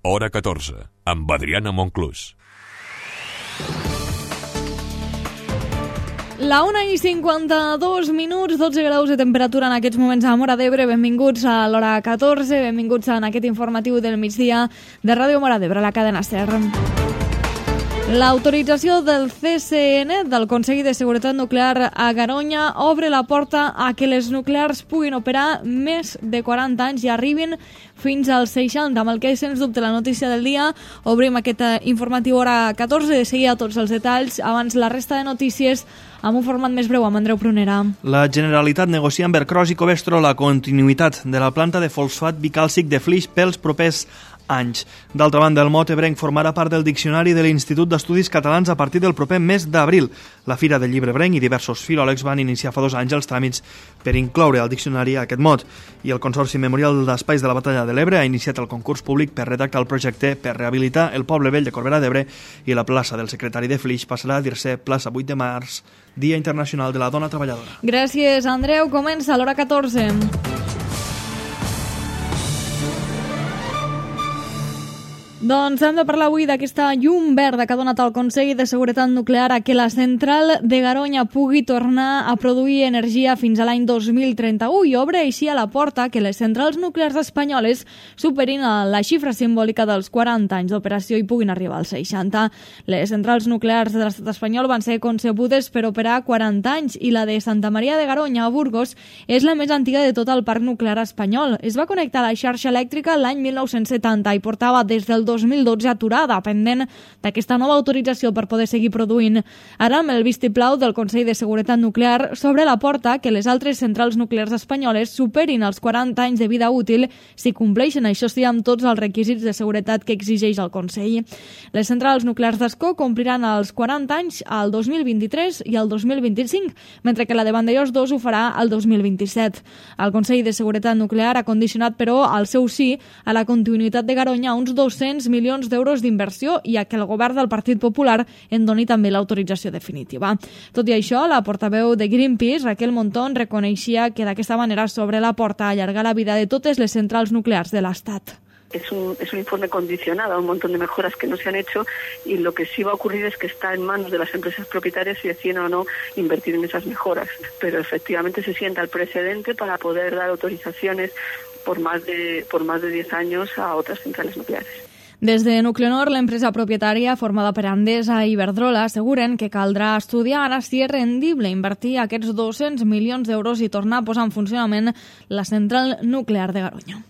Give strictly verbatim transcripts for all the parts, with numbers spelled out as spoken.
Hora catorze, amb Adriana Monclús. La una i cinquanta-dos minuts, dotze graus de temperatura en aquests moments a Móra d'Ebre. Benvinguts a l'Hora catorze, benvinguts en aquest informatiu del migdia de Ràdio Móra d'Ebre, la cadena SER. L'autorització del C C N, del Consell de Seguretat Nuclear a Garoña, obre la porta a que les nuclears puguin operar més de quaranta anys i arribin fins als seixanta, amb el que és sens dubte la notícia del dia. Obrim aquest informatiu Hora catorze, de seguida tots els detalls. Abans la resta de notícies amb un format més breu amb Andreu Prunera. La Generalitat negocia amb Ercros i Covestro la continuïtat de la planta de fosfat bicàlcic de Flix pels propers anys. D'altra banda, el mot ebrenc formarà part del diccionari de l'Institut d'Estudis Catalans a partir del proper mes d'abril. La Fira del Llibre Ebrenc i diversos filòlegs van iniciar fa dos anys els tràmits per incloure al diccionari aquest mot. I el Consorci Memorial d'Espais de la Batalla de l'Ebre ha iniciat el concurs públic per redactar el projecte per rehabilitar el poble vell de Corbera d'Ebre, i la plaça del secretari de Flix passarà a dir-se plaça vuit de març, Dia Internacional de la Dona Treballadora. Gràcies, Andreu. Comença l'Hora catorze. Doncs hem de parlar avui d'aquesta llum verda que ha donat el Consell de Seguretat Nuclear a que la central de Garoña pugui tornar a produir energia fins a l'any dos mil trenta-u i obre així a la porta que les centrals nuclears espanyoles superin la xifra simbòlica dels quaranta anys d'operació i puguin arribar als seixanta. Les centrals nuclears de l'estat espanyol van ser concebudes per operar quaranta anys i la de Santa Maria de Garoña a Burgos és la més antiga de tot el parc nuclear espanyol. Es va connectar a la xarxa elèctrica l'any mil nou-cents setanta i portava des del dos mil dotze aturada, pendent d'aquesta nova autorització per poder seguir produint. Ara, amb el vistiplau del Consell de Seguretat Nuclear, s'obre la porta que les altres centrals nuclears espanyoles superin els quaranta anys de vida útil si compleixen, això sí, amb tots els requisits de seguretat que exigeix el Consell. Les centrals nuclears d'Ascó compliran els quaranta anys al dos mil vint-i-tres i al dos mil vint-i-cinc, mentre que la de Vandellòs dos ho farà al dos mil vint-i-set. El Consell de Seguretat Nuclear ha condicionat, però, el seu sí a la continuïtat de Garoña a uns dos-cents milions d'euros d'inversió i a que el govern del Partit Popular en doni també l'autorització definitiva. Tot i això, la portaveu de Greenpeace, Raquel Montón, reconeixia que d'aquesta manera s'obre la porta a allargar la vida de totes les centrals nuclears de l'Estat. Es un, es un informe condicionado a un montón de mejoras que no se han hecho, y lo que sí va a ocurrir es que está en manos de las empresas propietarias si deciden o no invertir en esas mejoras. Pero efectivamente se sienta el precedente para poder dar autorizaciones por más de, por más de diez años a otras centrales nucleares. Des de Nuclenor, l'empresa propietària formada per Endesa i Iberdrola, asseguren que caldrà estudiar ara si és rendible invertir aquests dos-cents milions d'euros i tornar a posar en funcionament la central nuclear de Garoña.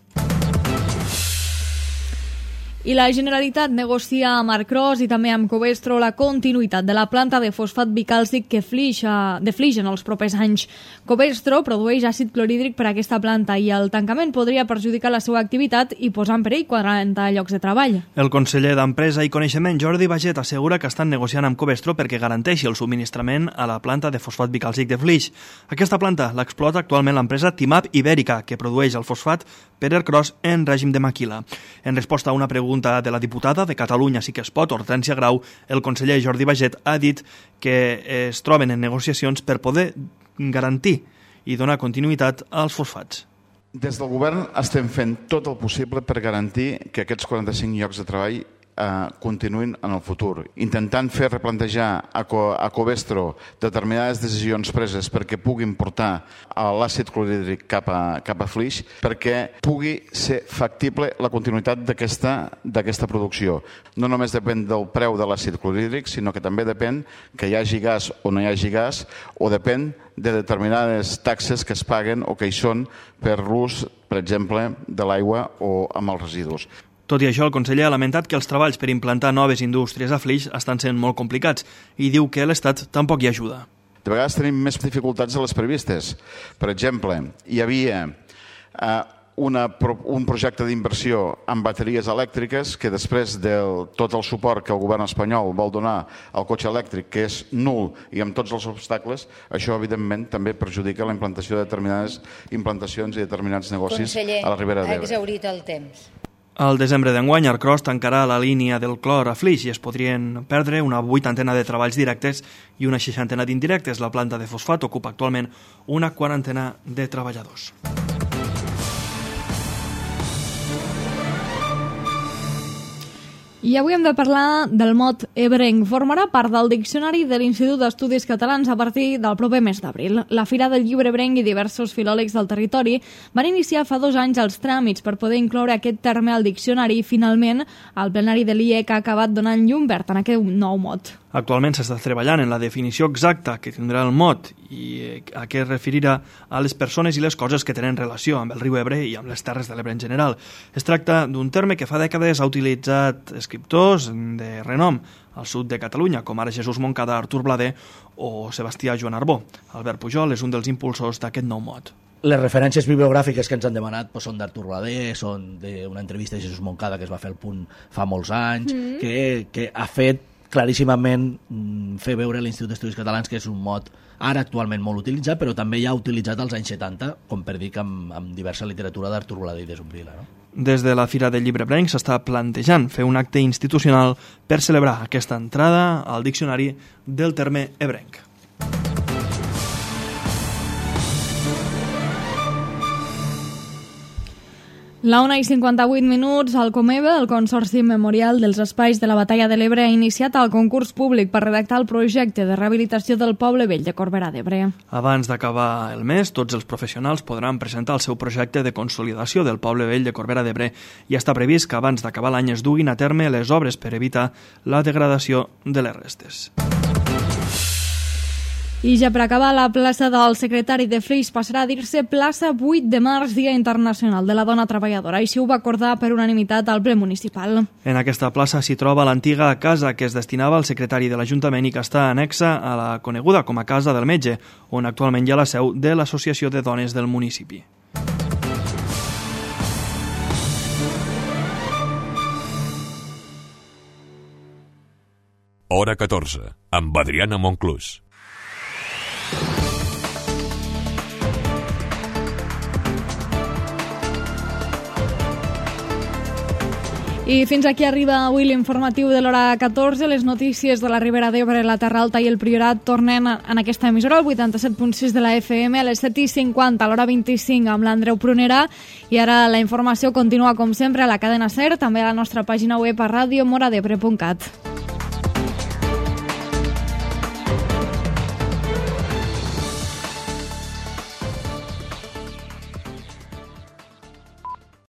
I la Generalitat negocia amb Ercros i també amb Covestro la continuïtat de la planta de fosfat bicàlcic que Flix, de Flix en els propers anys. Covestro produeix àcid clorhídric per a aquesta planta i el tancament podria perjudicar la seva activitat i posar en perill quaranta llocs de treball. El conseller d'Empresa i Coneixement, Jordi Baget, assegura que estan negociant amb Covestro perquè garanteixi el subministrament a la planta de fosfat bicàlcic de Flix. Aquesta planta l'explota actualment l'empresa Timap Ibèrica, que produeix el fosfat per Ercros en règim de maquila. En resposta a una pregunta de la diputada de Catalunya Sí que es pot, Hortència Grau, el conseller Jordi Baget ha dit que es troben en negociacions per poder garantir i donar continuïtat als fosfats. Des del govern estem fent tot el possible per garantir que aquests quaranta-cinc llocs de treball eh, continuïn en el futur, intentant fer replantejar a, Co a Covestro determinades decisions preses perquè puguin portar l'àcid clorhídric cap a, cap a Flix, perquè pugui ser factible la continuïtat d'aquesta producció. No només depèn del preu de l'àcid clorhídric, sinó que també depèn que hi hagi gas o no hi hagi gas, o depèn de determinades taxes que es paguen o que hi són per l'ús, per exemple, de l'aigua o amb els residus. Tot i això, el conseller ha lamentat que els treballs per implantar noves indústries a Flix estan sent molt complicats i diu que l'Estat tampoc hi ajuda. De vegades tenim més dificultats de les previstes. Per exemple, hi havia eh, una, un projecte d'inversió amb bateries elèctriques que després de tot el suport que el govern espanyol vol donar al cotxe elèctric, que és nul i amb tots els obstacles, això evidentment també perjudica la implantació de determinades implantacions i determinats negocis Conseller, a la Ribera d'Ebre. ha exhaurit el temps. Al desembre d'enguany, Ercros tancarà la línia del clor a Flix i es podrien perdre una vuitantena de treballs directes i una seixantena d'indirectes. La planta de fosfat ocupa actualment una quarantena de treballadors. I avui hem de parlar del mot ebrenc. Formarà part del diccionari de l'Institut d'Estudis Catalans a partir del proper mes d'abril. La Fira del Llibre Ebrenc i diversos filòlegs del territori van iniciar fa dos anys els tràmits per poder incloure aquest terme al diccionari i, finalment, el plenari de l'I E C ha acabat donant llum verd en aquest nou mot. Actualment s'està treballant en la definició exacta que tindrà el mot i a què es referirà a les persones i les coses que tenen relació amb el riu Ebre i amb les terres de l'Ebre en general. Es tracta d'un terme que fa dècades ha utilitzat escriptors de renom al sud de Catalunya, com ara Jesús Moncada, Artur Blader o Sebastià Joan Arbó. Albert Pujol és un dels impulsors d'aquest nou mot. Les referències bibliogràfiques que ens han demanat doncs, són d'Artur Blader, són d'una entrevista de Jesús Moncada que es va fer al Punt fa molts anys, mm. que, que ha fet claríssimament fer veure a l'Institut d'Estudis Catalans que és un mot ara actualment molt utilitzat, però també ja utilitzat als anys setanta, com per dir que amb, amb diversa literatura d'Artur Blader i de Zumbrila, no? Des de la Fira del Llibre Ebrenc s'està plantejant fer un acte institucional per celebrar aquesta entrada al diccionari del terme ebrenc. La una i cinquanta-vuit minuts, el Comebe, el Consorci Memorial dels Espais de la Batalla de l'Ebre, ha iniciat el concurs públic per redactar el projecte de rehabilitació del Poble Vell de Corbera d'Ebre. Abans d'acabar el mes, tots els professionals podran presentar el seu projecte de consolidació del Poble Vell de Corbera d'Ebre i està previst que abans d'acabar l'any es duguin a terme les obres per evitar la degradació de les restes. I ja per acabar, la plaça del secretari de Flix passarà a dir-se plaça vuit de març, Dia Internacional de la Dona Treballadora. Així ho va acordar per unanimitat al ple municipal. En aquesta plaça s'hi troba l'antiga casa que es destinava al secretari de l'Ajuntament i que està anexa a la coneguda com a Casa del Metge, on actualment hi ha la seu de l'Associació de Dones del municipi. Hora catorze, amb Adriana Monclús. I fins aquí arriba avui l'informatiu de l'hora catorze. Les notícies de la Ribera d'Ebre, la Terra Alta i el Priorat tornen en aquesta emissora, el vuitanta-set punt sis de la F M, a les set i cinquanta, a l'hora vint-i-cinc, amb l'Andreu Prunera. I ara la informació continua, com sempre, a la cadena SER, també a la nostra pàgina web a radio moradebre punt cat.